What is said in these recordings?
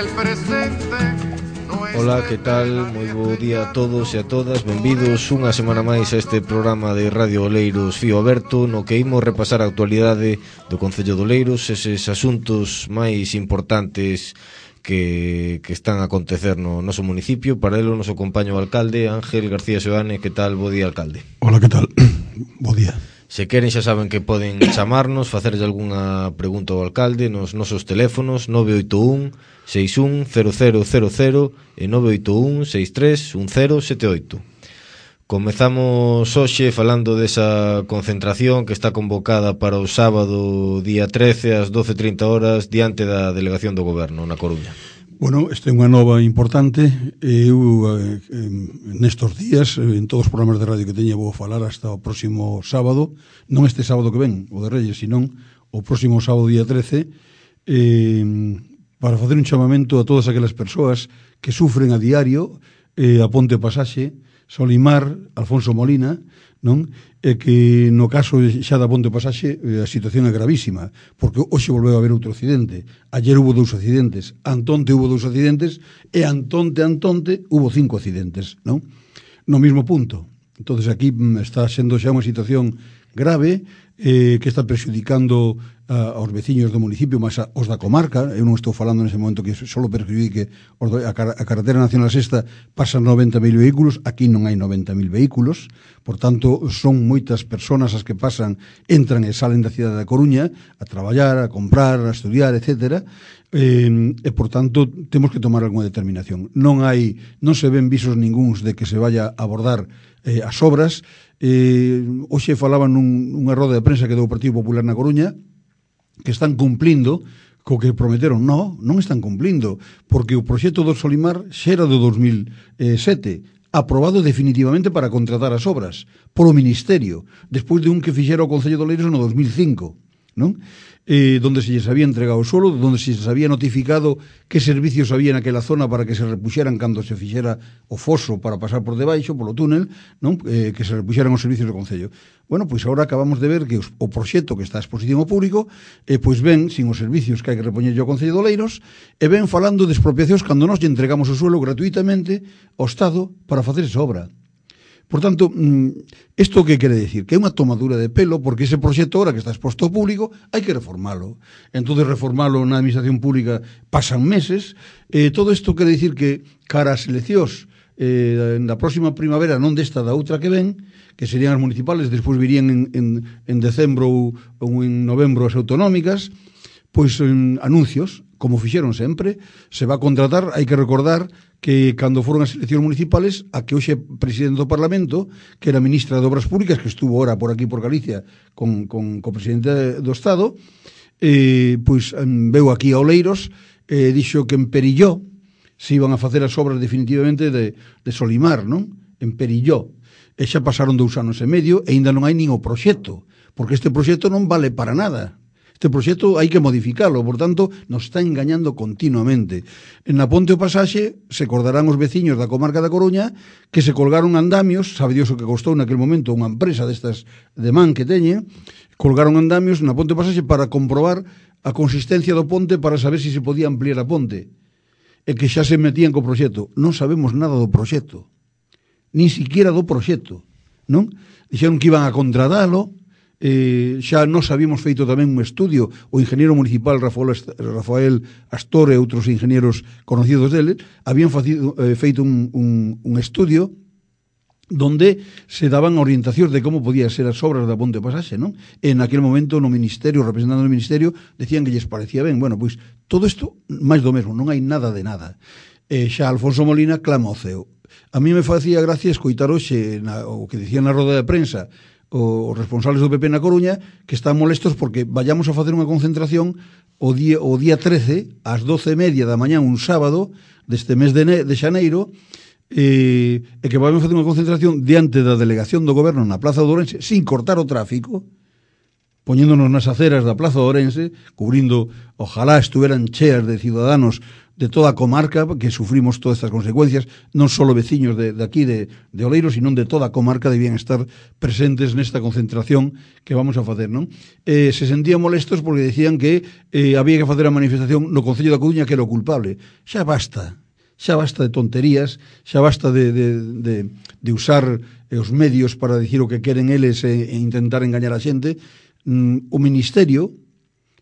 el presente. Ola, que tal? Moi bo día a todos e a todas. Benvidos unha semana máis a este programa de Radio Oleiros Fío Aberto, no que imos repasar a actualidade do Concello de Oleiros, eses asuntos máis importantes que están a acontecer no noso municipio. Para elo, noso compaño alcalde, Ángel García Seoane. Que tal? Bo día, alcalde. Hola, que tal? Bo día. Se queren xa saben que poden chamarnos, facerlle algunha pregunta ao alcalde nos nosos teléfonos 981 61 0000 e 981 63 1078. Comezamos hoxe falando desa concentración que está convocada para o sábado día 13 ás 12:30 horas diante da delegación do Goberno na Coruña. Bueno, esta é unha nova importante. Eu nestes días, en todos os programas de radio que teña, vou falar hasta o próximo sábado, non este sábado que ven, o de Reyes, senón o próximo sábado día 13, para facer un chamamento a todas aquelas persoas que sufren a diario a Ponte Pasaxe, Solimar, Alfonso Molina, non? E que no caso xa da Ponte Pasaxe a situación é gravísima, porque hoxe volveu a haber outro accidente. Ayer hubo 2 accidentes, antonte hubo 2 accidentes e antonte hubo 5 accidentes, non? No mesmo punto. Entonces aquí está sendo xa unha situación grave que está prexudicando aos veciños do municipio, máis aos da comarca. Eu non estou falando nese momento que só perjudique a carretera nacional sexta, pasan 90.000 vehículos, aquí non hai 90.000 vehículos, por tanto son moitas persoas as que pasan, entran e salen da cidade da Coruña a traballar, a comprar, a estudiar, etcétera, e por tanto temos que tomar algunha determinación. Non se ven visos ningúns de que se vaya a abordar as obras. Hoxe falaban nunha roda de prensa que deu o Partido Popular na Coruña que están cumplindo co que prometeron. Non están cumplindo, porque o proxecto do Solimar xa era do 2007, aprobado definitivamente para contratar as obras polo Ministerio, despois de un que fixera o Concello de Oleiros no 2005, non? Donde se lles había entregado o suelo, donde se lles había notificado que servicios había naquela zona para que se repuxeran cando se fixera o foso para pasar por debaixo, polo túnel, non? Que se repuxeran os servicios do Concello. Bueno, pois agora acabamos de ver que o proxecto que está a exposición ao público pois ven sin os servicios que hai que repoñerlle ao Concello de Oleiros e ven falando de expropiacións cando nós lle entregamos o suelo gratuitamente ao Estado para facer esa obra. Por tanto, isto que quere decir? Que é unha tomadura de pelo, porque ese proxecto ahora que está exposto ao público hai que reformalo. Entón, reformalo na administración pública pasan meses. Todo isto quere decir que cara ás eleccións na próxima primavera, non desta, da outra que ven, que serían as municipales, despois virían en decembro ou en novembro as autonómicas, pois anuncios, como fixeron sempre, se va a contratar. Hai que recordar que cando foron as eleccións municipales, a que hoxe presidente do Parlamento, que era ministra de Obras Públicas, que estuvo ahora por aquí por Galicia con o presidente do Estado, pois veu aquí a Oleiros, dixo que en Perilló se iban a facer as obras definitivamente de Solimar, non? En Perilló. E xa pasaron 2 anos e medio e ainda non hai nin o proxecto, porque este proxecto non vale para nada. Este proxecto hai que modificalo, por tanto, nos está engañando continuamente. En la Ponte o Pasaxe se acordarán os veciños da comarca da Coruña que se colgaron andamios, sabe Dios o que costou naquele momento unha empresa destas de man que teñen, colgaron andamios na Ponte o Pasaxe para comprobar a consistencia do ponte para saber se podía ampliar a ponte. E que xa se metían co proxecto. Non sabemos nada do proxecto, nin siquiera do proxecto, non? Dixeron que iban a contratalo. Xa nos habíamos feito tamén un estudio, o ingeniero municipal Rafael Astor e outros ingenieros conocidos dele habían feito un estudio donde se daban orientacións de como podía ser as obras da Ponte Pasaxe, non? En aquel momento no Ministerio, representando no Ministerio, decían que lles parecía ben. Bueno, pois todo isto máis do mesmo, non hai nada de nada. Xa Alfonso Molina clama ao ceo. A mí me facía gracia escoitar hoxe o que dicían na roda de prensa os responsables do PP na Coruña, que están molestos porque vayamos a facer unha concentración o día 13 ás 12:30 da mañá, un sábado deste mes de xaneiro, e que vamos a facer unha concentración diante da delegación do Goberno na Plaza de Ourense sin cortar o tráfico, poñéndonos nas aceras da Plaza de Ourense, cubrindo, ojalá estuveran cheas de ciudadanos de toda a comarca, que sufrimos todas estas consecuencias, non só veciños de aquí de Oleiros, sino de toda a comarca debían estar presentes nesta concentración que vamos a facer, non? Se sentían molestos porque decían que había que facer a manifestación no Concello da Coruña, que era o culpable. Xa basta de tonterías, xa basta de usar os medios para dicir o que queren eles e intentar engañar a xente. O Ministerio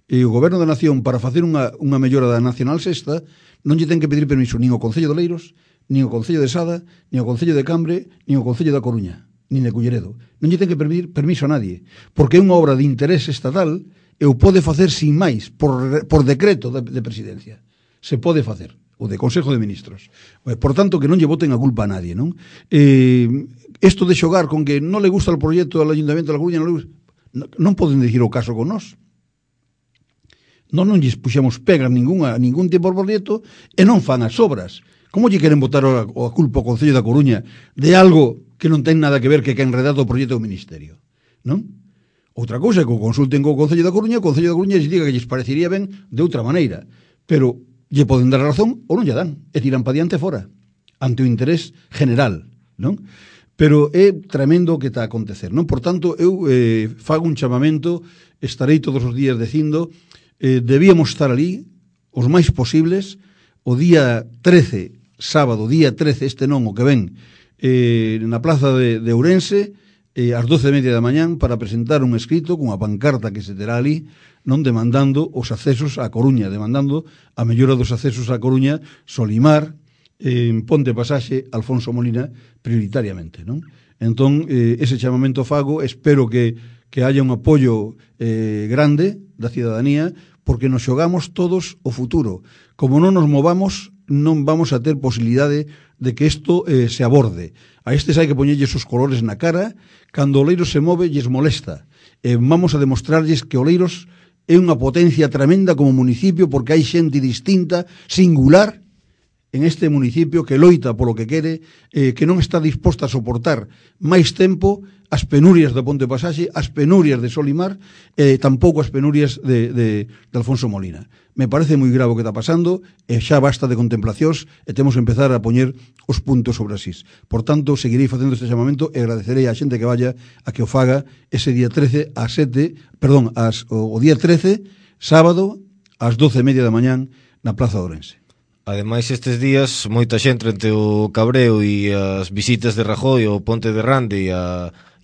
e o Goberno da Nación, para facer unha mellora da Nacional Sexta, non lle ten que pedir permiso nin ao Concello de Oleiros, nin ao Concello de Sada, nin ao Concello de Cambre, nin ao Concello da Coruña, nin de Culleredo. Non lle ten que pedir permiso a nadie, porque é unha obra de interés estatal e o pode facer sin máis, por decreto de presidencia. Se pode facer, o de Consejo de Ministros. Por tanto, que non lle boten a culpa a nadie, non? Isto de xogar con que non le gusta o proxecto do Ayuntamiento de la Coruña, non poden dicir o caso con nós. Non lles puxemos pegas ningún tipo de proxecto e non fan as obras. Como lle queren botar a culpa ao Concello da Coruña de algo que non ten nada que ver que enredado o proxecto do Ministerio, non? Outra cousa é que o consulten co Concello da Coruña, o Concello da Coruña lles diga que lles parecería ben de outra maneira, pero lle poden dar a razón ou non lle dan, e tiran pa diante fora, ante o interés general, non? Pero é tremendo o que está a acontecer, non? Por tanto, eu fago un chamamento, estarei todos os días dicindo, debíamos estar ali os máis posibles o día 13, sábado, día 13, este non, o que ven, na plaza de Ourense, ás 12:30 da mañán, para presentar un escrito cunha pancarta que se terá ali, non demandando os accesos á Coruña, demandando a mellora dos accesos á Coruña, Solimar, Ponte Pasaxe, Alfonso Molina, prioritariamente, non? Entón, ese chamamento fago, espero que haya un apoio grande da cidadanía, porque nos xogamos todos o futuro. Como non nos movamos, non vamos a ter posibilidade de que isto se aborde. A estes hai que poñerlles os colores na cara, cando Oleiros se move, lles molesta. Vamos a demostrarlles que Oleiros é unha potencia tremenda como municipio, porque hai xente distinta, singular, en este municipio que loita polo que quere, que non está disposta a soportar máis tempo as penurias da Ponte Pasaxe, as penurias de Solimar, tampouco as penurias de Alfonso Molina. Me parece moi grave o que está pasando, e xa basta de contemplacións, e temos que empezar a poñer os puntos sobre as is. Por tanto, seguirei facendo este chamamento e agradecerei á xente que vaya a que o faga ese día 13 o día 13, sábado, ás 12:30 da mañán, na Plaza de Ourense. Ademais, estes días, moita xente entre o cabreo e as visitas de Rajoy ao Ponte de Rande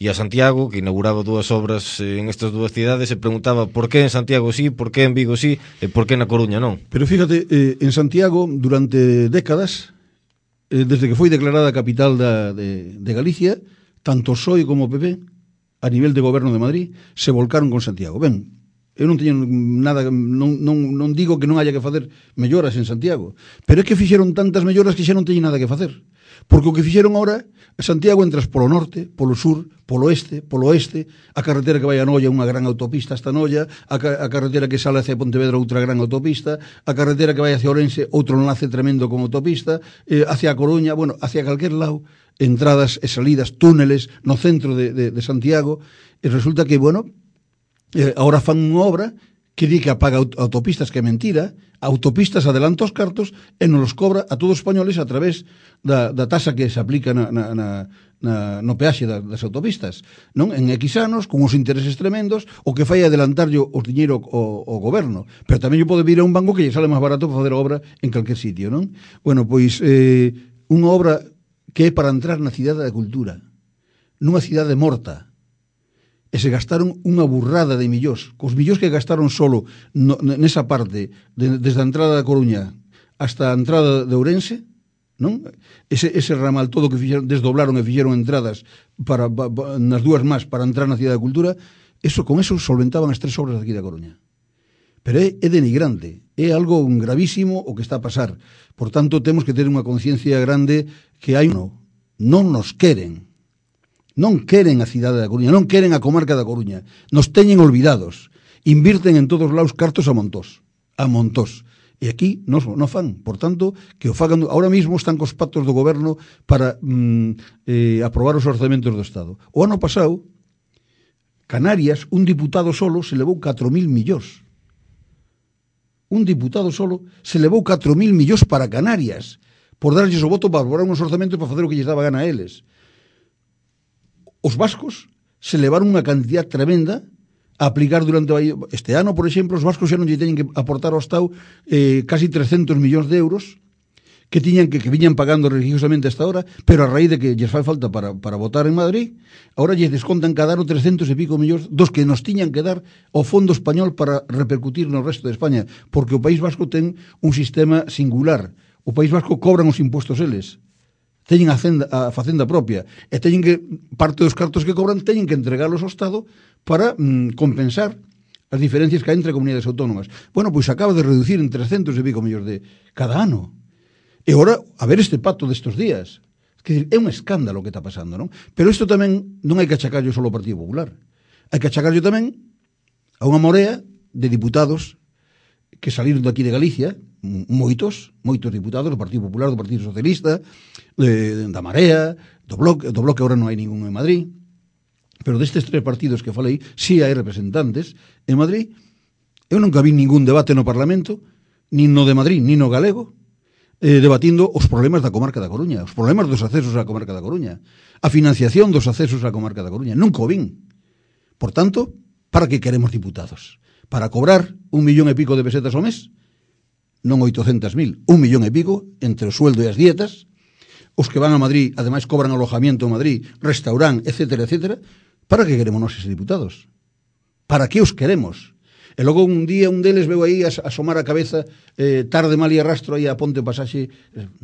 e a Santiago, que inauguraba dúas obras en estas dúas cidades, se preguntaba por que en Santiago sí, por que en Vigo sí e por que na Coruña non. Pero fíjate, en Santiago, durante décadas, desde que foi declarada capital de Galicia, tanto PSOE como PP, a nivel de goberno de Madrid, se volcaron con Santiago. Ben, eu non teño nada, non digo que non haya que facer melloras en Santiago, pero é que fixeron tantas melloras que xa non teñen nada que facer. Porque o que fixeron ahora, Santiago entras polo norte, polo sur, polo este, polo oeste, a carretera que vai a Noia, unha gran autopista hasta Noia, a carretera que sale hacia Pontevedra, outra gran autopista, a carretera que vai hacia Ourense, outro enlace tremendo con autopista, hacia a Coruña, bueno, hacia calquer lado, entradas e salidas, túneles no centro de Santiago, e resulta que, bueno, ahora fan unha obra que di que apaga autopistas, que é mentira. Autopistas adelanta os cartos e nos los cobra a todos os españoles a través da tasa que se aplica no peaxe das autopistas, non? En X anos, con os intereses tremendos, o que fai adelantarlle os diñeiro ao goberno, pero tamén lle pode vir a un banco que lle sale máis barato para fazer a obra en calquer sitio, non? Bueno, pois unha obra que é para entrar na cidade da cultura, nunha cidade morta, e se gastaron unha burrada de millóns. Cos millóns que gastaron solo nesa parte, desde a entrada da Coruña hasta a entrada de Ourense, non? Ese ramal todo que fixeron, desdoblaron e fixeron entradas nas dúas más para entrar na cidade da cultura, con eso solventaban as 3 obras aquí da Coruña. Pero é denigrante, é algo gravísimo o que está a pasar. Por tanto, temos que ter unha conciencia grande que non nos queren. Non queren a cidade da Coruña, non queren a comarca da Coruña. Nos teñen olvidados. Invirten en todos lados cartos a montós. E aquí non fan. Por tanto, que o fagan. Ahora mismo están cos pactos do goberno para aprobar os orzamentos do Estado. O ano pasado, Canarias, un diputado solo se levou 4.000 millóns. un diputado solo, se levou 4.000 millóns para Canarias, por darlles o voto para elaborar uns orzamentos para facer o que lles daba gana a eles. Os vascos se levaron unha cantidad tremenda a aplicar durante este ano, por exemplo, os vascos xa non lle teñen que aportar ao Estado casi 300 millóns de euros que viñan pagando religiosamente hasta ahora, pero a raíz de que lles fai falta para votar en Madrid, ahora lles descontan cada ano 300 e pico millóns dos que nos tiñan que dar ao Fondo Español para repercutir no resto de España, porque o País Vasco ten un sistema singular. O País Vasco cobran os impostos eles, teñen a facenda propia, e teñen que, parte dos cartos que cobran, teñen que entregalos ao Estado para compensar as diferencias que hai entre comunidades autónomas. Bueno, pois acaba de reducir en 300 e pico millóns de cada ano. E ora, a ver este pacto destes días. É un escándalo o que está pasando, non? Pero isto tamén non hai que achacarlo só ao Partido Popular. Hai que achacarlo tamén a unha morea de diputados que saliron daqui de Galicia, moitos diputados do Partido Popular, do Partido Socialista, da Marea, do Bloque agora non hai ningún en Madrid, pero destes tres partidos que falei, si hai representantes en Madrid. Eu nunca vi ningún debate no Parlamento, nin no de Madrid, nin no galego, debatindo os problemas da comarca da Coruña, os problemas dos accesos á comarca da Coruña, a financiación dos accesos á comarca da Coruña. Nunca o vin. Por tanto, para que queremos diputados? Para cobrar 1 millón e pico de pesetas ao mes? Non 800.000, 1 millón e pico entre o sueldo e as dietas. Os que van a Madrid, ademais cobran alojamiento en Madrid, restaurante, etcétera, etcétera. Para que queremos nós eses diputados? Para que os queremos? E logo un día un deles veu aí asomar a cabeza tarde mal e arrastro aí a Ponte Pasaxe.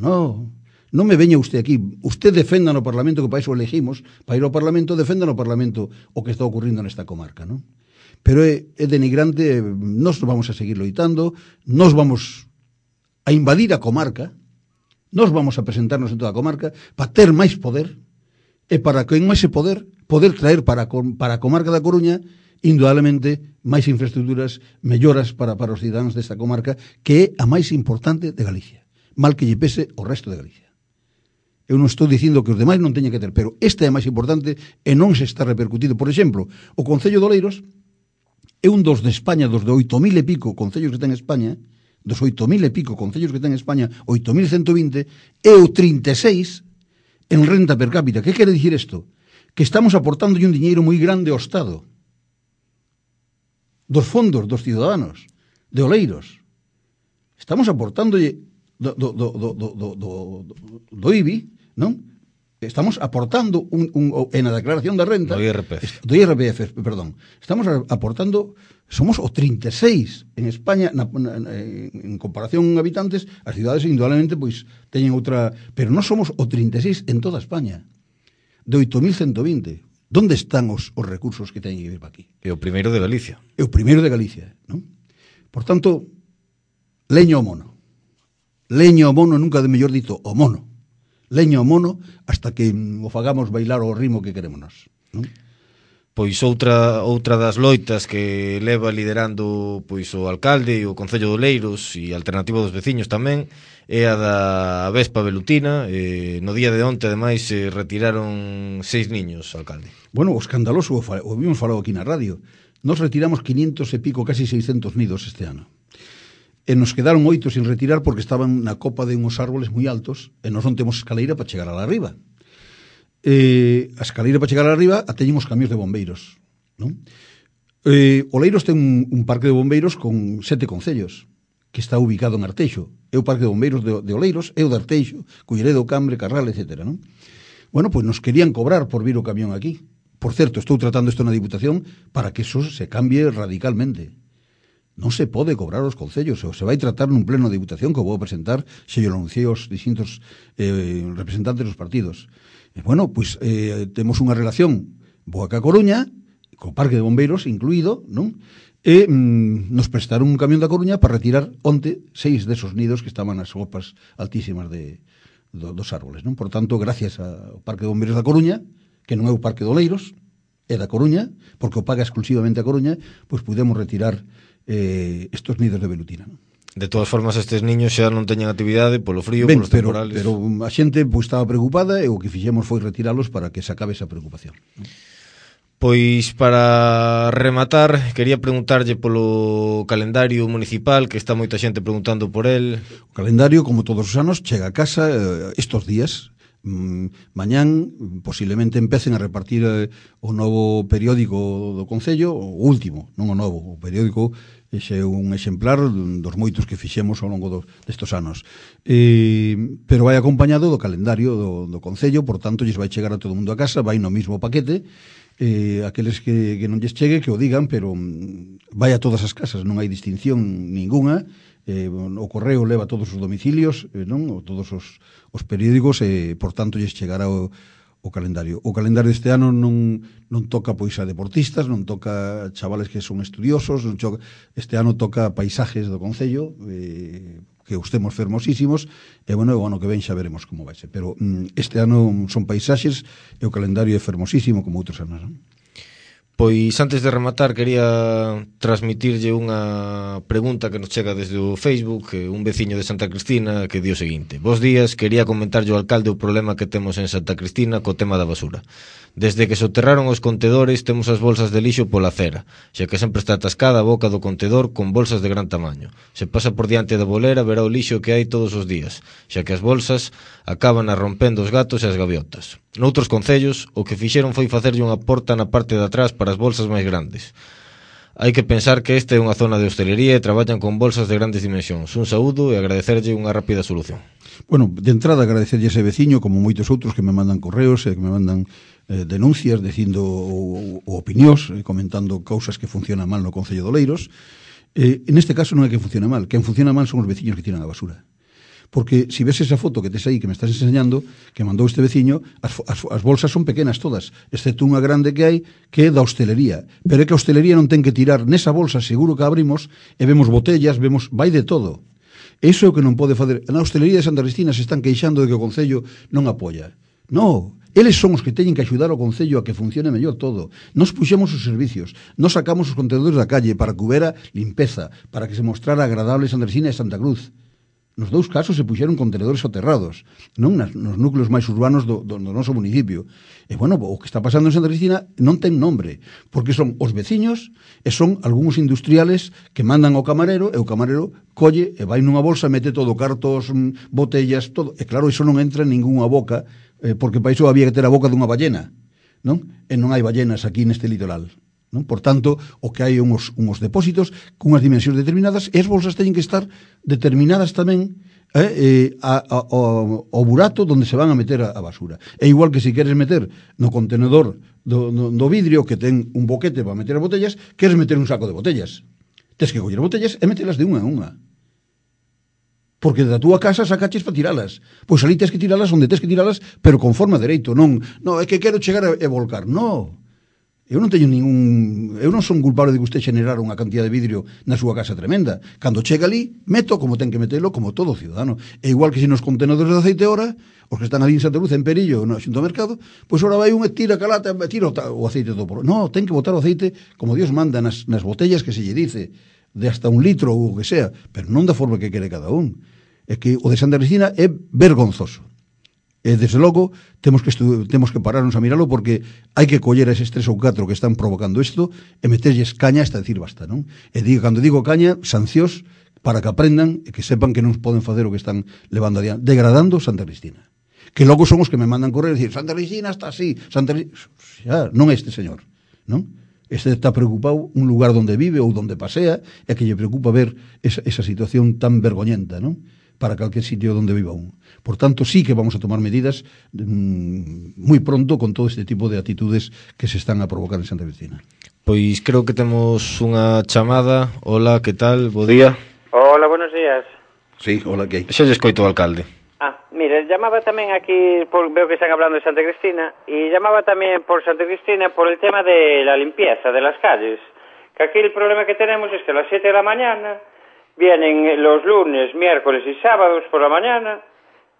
Non me veña usted aquí. Usted defenda no Parlamento, que para iso elegimos, para ir ao Parlamento, defenda no Parlamento o que está ocurrindo nesta comarca, non? Pero é denigrante. Nós vamos a seguir loitando, nós vamos a invadir a comarca, nós vamos a presentarnos en toda a comarca para ter máis poder, e para que en ese poder traer para a comarca da Coruña indudablemente máis infraestructuras, melloras para os cidadáns desta comarca, que é a máis importante de Galicia, mal que lle pese o resto de Galicia. Eu non estou dicindo que os demais non teñan que ter, pero esta é a máis importante e non se está repercutindo. Por exemplo, o Concello de Oleiros é un dos de España, dos de 8.000 e pico concellos que ten España, dos 8.000 e pico concellos que ten España, 8.120, é o 36 en renta per cápita. Que quere dicir isto? Que estamos aportando un diñeiro moi grande ao Estado, dos fondos dos ciudadanos de Oleiros. Estamos aportándolle do IBI, non? Estamos aportando en a declaración da renta do IRPF, perdón. Estamos aportando, somos o 36 en España en comparación en habitantes. As cidades indudablemente pois teñen outra, pero non somos o 36 en toda España, de 8.120. Donde están os recursos que teñen que vir para aquí? É o primeiro de Galicia. É o primeiro de Galicia, non? Por tanto, leño ao mono. Leño ao mono, nunca de mellor dito, o mono. Leño ao mono hasta que o fagamos bailar o ritmo que queremos nós, non? Pois outra das loitas que leva liderando pois o alcalde e o Concello de Oleiros e a Alternativa dos Veciños tamén é a da Vespa Velutina. No día de onte, ademais, se retiraron 6 niños, alcalde. Bueno, o escandaloso, o vimos falado aquí na radio. Nos retiramos 500 e pico, casi 600 nidos este ano. E nos quedaron 8 sin retirar porque estaban na copa de uns árboles moi altos e nos non temos escaleira para chegar a la arriba. A escaleira para chegar a la arriba a teñen os camións de bombeiros, non? Oleiros ten un parque de bombeiros con 7 concellos, que está ubicado en Arteixo. É o parque de bombeiros de Oleiros, é o de Arteixo, Culleredo, Cambre, Carral, etc. Non? Bueno, pois nos querían cobrar por vir o camión aquí. Por certo, estou tratando isto na Diputación para que eso se cambie radicalmente. Non se pode cobrar aos concellos, ou se vai tratar nun pleno de Diputación que vou presentar, se yo lo anunciei aos distintos representantes dos partidos. Bueno, pois temos unha relación boa ca Coruña, co parque de bombeiros incluído, non? E nos prestaron un camión da Coruña para retirar onte 6 desos nidos que estaban nas copas altísimas dos árboles, non? Por tanto, gracias ao parque de bombeiros da Coruña, que non é o parque de Oleiros, é da Coruña, porque o paga exclusivamente a Coruña, pois pudemos retirar estos nidos de velutina, non? De todas formas, estes niños xa non teñen actividade polo frío, polos temporales. Pero a xente pois estaba preocupada e o que fixemos foi retiralos para que se acabe esa preocupación. Pois para rematar, quería preguntarlle polo calendario municipal, que está moita xente preguntando por el. O calendario, como todos os anos, chega a casa estos días. Mañán posiblemente empecen a repartir o novo periódico do Concello, o último, non o novo, o periódico ese é un exemplar dos moitos que fixemos ao longo destos anos, pero vai acompañado do calendario do Concello, por tanto lles vai chegar a todo mundo a casa, vai no mismo paquete. Aqueles que non lles chegue que o digan, pero vai a todas as casas, non hai distinción ninguna. O correo leva a todos os domicilios, non? O todos os periódicos, por tanto lles chegará o calendario. O calendario deste ano non toca pois a deportistas, non toca chavales que son estudiosos, este ano toca paisajes do Concello, que os temos fermosísimos, e bueno, o ano que ven xa veremos como vai ser, pero este ano son paisaxes e o calendario é fermosísimo como outros anos, non? Pois antes de rematar quería transmitirlle unha pregunta que nos chega desde o Facebook, un veciño de Santa Cristina que di o seguinte: Bos días, quería comentarlle ao alcalde o problema que temos en Santa Cristina co tema da basura. Desde que soterraron os contedores temos as bolsas de lixo pola acera, xa que sempre está atascada a boca do contedor con bolsas de gran tamaño. Se pasa por diante da bolera verá o lixo que hai todos os días, xa que as bolsas acaban a rompendo os gatos e as gaviotas. Noutros concellos, o que fixeron foi facerlle unha porta na parte de atrás para as bolsas máis grandes. Hai que pensar que esta é unha zona de hostelería e traballan con bolsas de grandes dimensións. Un saúdo e agradecerlle unha rápida solución. Bueno, de entrada agradecerlle a ese veciño, como moitos outros que me mandan correos e que me mandan denuncias dicindo ou opinións, comentando cousas que funcionan mal no Concello de Oleiros. En este caso non é que funcione mal, quen funciona mal son os veciños que tiran a basura. Porque si ves esa foto que tes aí, que me estás enseñando, que mandou este veciño, as bolsas son pequenas todas, excepto unha grande que hai, que é da hostelería. Pero é que a hostelería non ten que tirar nesa bolsa, seguro que abrimos, e vemos botellas, vai de todo. Iso é o que non pode fazer. Na hostelería de Santa Cristina se están queixando de que o Concello non apoia. Non, eles son os que teñen que axudar ao Concello a que funcione mellor todo. Nos puxemos os servicios, nos sacamos os contenedores da calle para que houbera limpeza, para que se mostrara agradable Santa Cristina e Santa Cruz. Nos dous casos se puxeron contenedores soterrados, non nos núcleos máis urbanos do noso municipio. E, bueno, o que está pasando en Santa Cristina non ten nombre, porque son os veciños e son algúns industriales que mandan ao camarero, e o camarero colle e vai nunha bolsa, mete todo, cartos, botellas, todo. E claro, iso non entra en ningunha boca, porque para iso había que ter a boca dunha ballena, non? E non hai ballenas aquí neste litoral. Non? Por tanto, o que hai uns depósitos cunhas dimensións determinadas, e as bolsas teñen que estar determinadas tamén ao burato onde se van a meter a basura. É igual que se queres meter no contenedor do vidrio que ten un boquete para meter as botellas, queres meter un saco de botellas. Tes que coller botellas e metelas de unha a unha. Porque da túa casa sacaches para tiralas. Pois ali tes que tiralas onde tes que tiralas, pero conforme a dereito. Non, é que quero chegar e volcar. Non. Eu non son culpable de que usted generara unha cantidad de vidrio na súa casa tremenda. Cando chega ali, meto como ten que metelo, como todo ciudadano. É igual que se nos contenedores de aceite ora, os que están ali en Santa Cruz, en Perillo, no Xunto Mercado, pois ora vai un e tira calata, tira o aceite todo por... Non, ten que botar o aceite como Dios manda nas botellas que se lle dice, de hasta 1 litro ou o que sea, pero non da forma que quere cada un. É que o de Santa Cristina é vergonzoso. E, desde logo, temos que pararnos a miralo, porque hai que coller a eses 3 ou 4 que están provocando isto e meterlles caña hasta decir basta, non? E cando digo caña, sancións para que aprendan e que sepan que non poden facer o que están levando adiante, degradando Santa Cristina. Que logo son os que me mandan correr e dicir Santa Cristina está así, xa, non este señor, non? Este está preocupado un lugar onde vive ou onde pasea, e que lle preocupa ver esa situación tan vergoñenta, non? Para calquer sitio onde viva un. Por tanto, sí que vamos a tomar medidas moi pronto con todo este tipo de actitudes que se están a provocar en Santa Cristina. Pois creo que temos unha chamada. Hola, que tal? Bo día. Hola, buenos días. Sí, hola, que hai? Xa lle escoito o alcalde. Mire, llamaba tamén aquí, veo que están hablando de Santa Cristina, y llamaba tamén por Santa Cristina por el tema de la limpieza de las calles. Que aquí el problema que tenemos es que a las 7 de la mañana vienen los lunes, miércoles y sábados por la mañana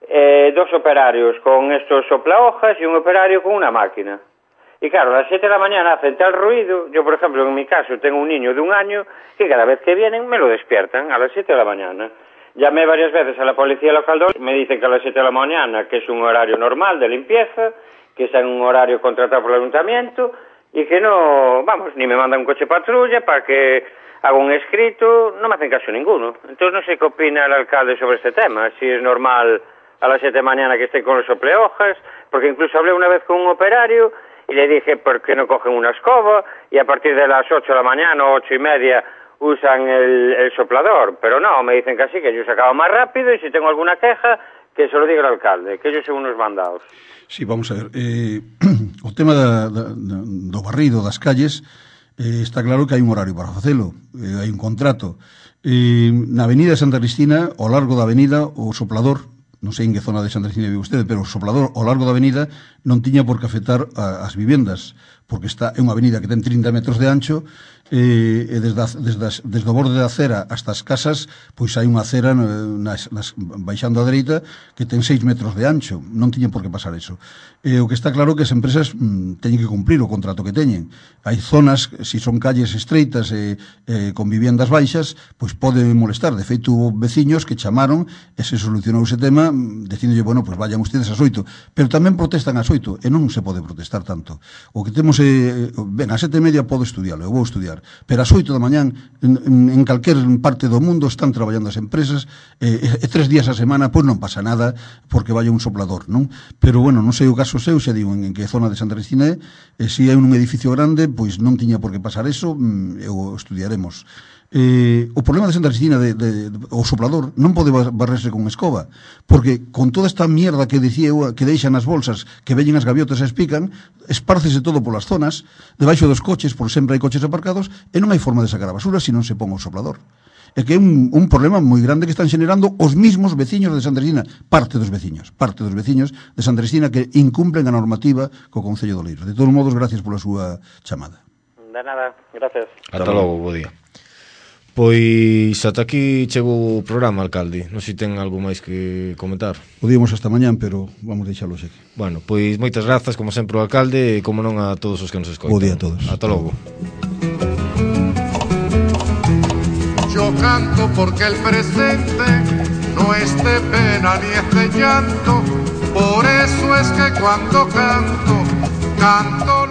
2 operarios con estos soplahojas y un operario con una máquina. Y claro, a las 7 de la mañana hacen tal ruido. Yo, por ejemplo, en mi caso tengo un niño de 1 año que cada vez que vienen me lo despiertan a las 7 de la mañana. Llamé varias veces a la policía local, me dicen que a las 7 de la mañana, que es un horario normal de limpieza, que está en un horario contratado por el ayuntamiento, y que no, vamos, ni me mandan un coche patrulla para que haga un escrito, no me hacen caso ninguno. Entonces no sé qué opina el alcalde sobre este tema, si es normal a las 7 de la mañana que estén con los soplehojas, porque incluso hablé una vez con un operario y le dije por qué no cogen una escoba y a partir de las 8 de la mañana o 8:30 usan el soplador, pero no, me dicen que así, que ellos acaban más rápido y si tengo alguna queja, que se lo diga el alcalde, que ellos son unos mandados. Sí, vamos a ver, o tema do barrido das calles, está claro que hai un horario para facelo, hai un contrato. Na avenida de Santa Cristina, ao largo da avenida, o soplador, non sei en que zona de Santa Cristina vive usted, pero o soplador ao largo da avenida non tiña por que afectar as vivendas, porque é unha avenida que ten 30 metros de ancho, e desde o borde da acera hasta as casas, pois hai unha acera baixando a dereita que ten 6 metros de ancho, non tiñen por que pasar eso. O que está claro que as empresas teñen que cumprir o contrato que teñen. Hai zonas, se son calles estreitas con viviendas baixas, pois pode molestar. De feito, hubo veciños que chamaron e se solucionou ese tema dicíndolle, bueno, pois vayan ustedes ás 8, pero tamén protestan ás 8 e non se pode protestar tanto. O que temos ben, ás 7:30 podo estudiarlo, eu vou estudiar, pero ás 8 da mañán en calquer parte do mundo están traballando as empresas e 3 días a semana pois non pasa nada porque vaya un soplador, non? Pero bueno, non sei o caso seu, xa digo, en que zona de Santa Cristina se é un edificio grande, pois non tiña por que pasar eso, eu estudiaremos. O problema de Santa Cristina o soplador non pode barrerse con escoba, porque con toda esta mierda que dicía eu, que deixan as bolsas, que veñen as gaviotas e espican, espárcese todo polas zonas, debaixo dos coches, por sempre hai coches aparcados, e non hai forma de sacar a basura se non se pon o soplador. É que é un problema moi grande que están xenerando os mismos veciños de Santa Cristina, parte dos veciños de Santa Cristina que incumplen a normativa co Concello de Oleiros. De todos modos, gracias pola súa chamada. De nada, gracias. Ata logo, bo día. Pois ata aquí chegou o programa, alcalde. Non sei se ten algo máis que comentar. Podíamos hasta mañán, pero vamos deixalo aquí. Bueno, pois moitas grazas, como sempre, ao alcalde e como non a todos os que nos escoitan. Bo día a todos. Ata logo. Yo canto porque el presente no es de pena ni es de llanto. Por eso es que cuando canto, canto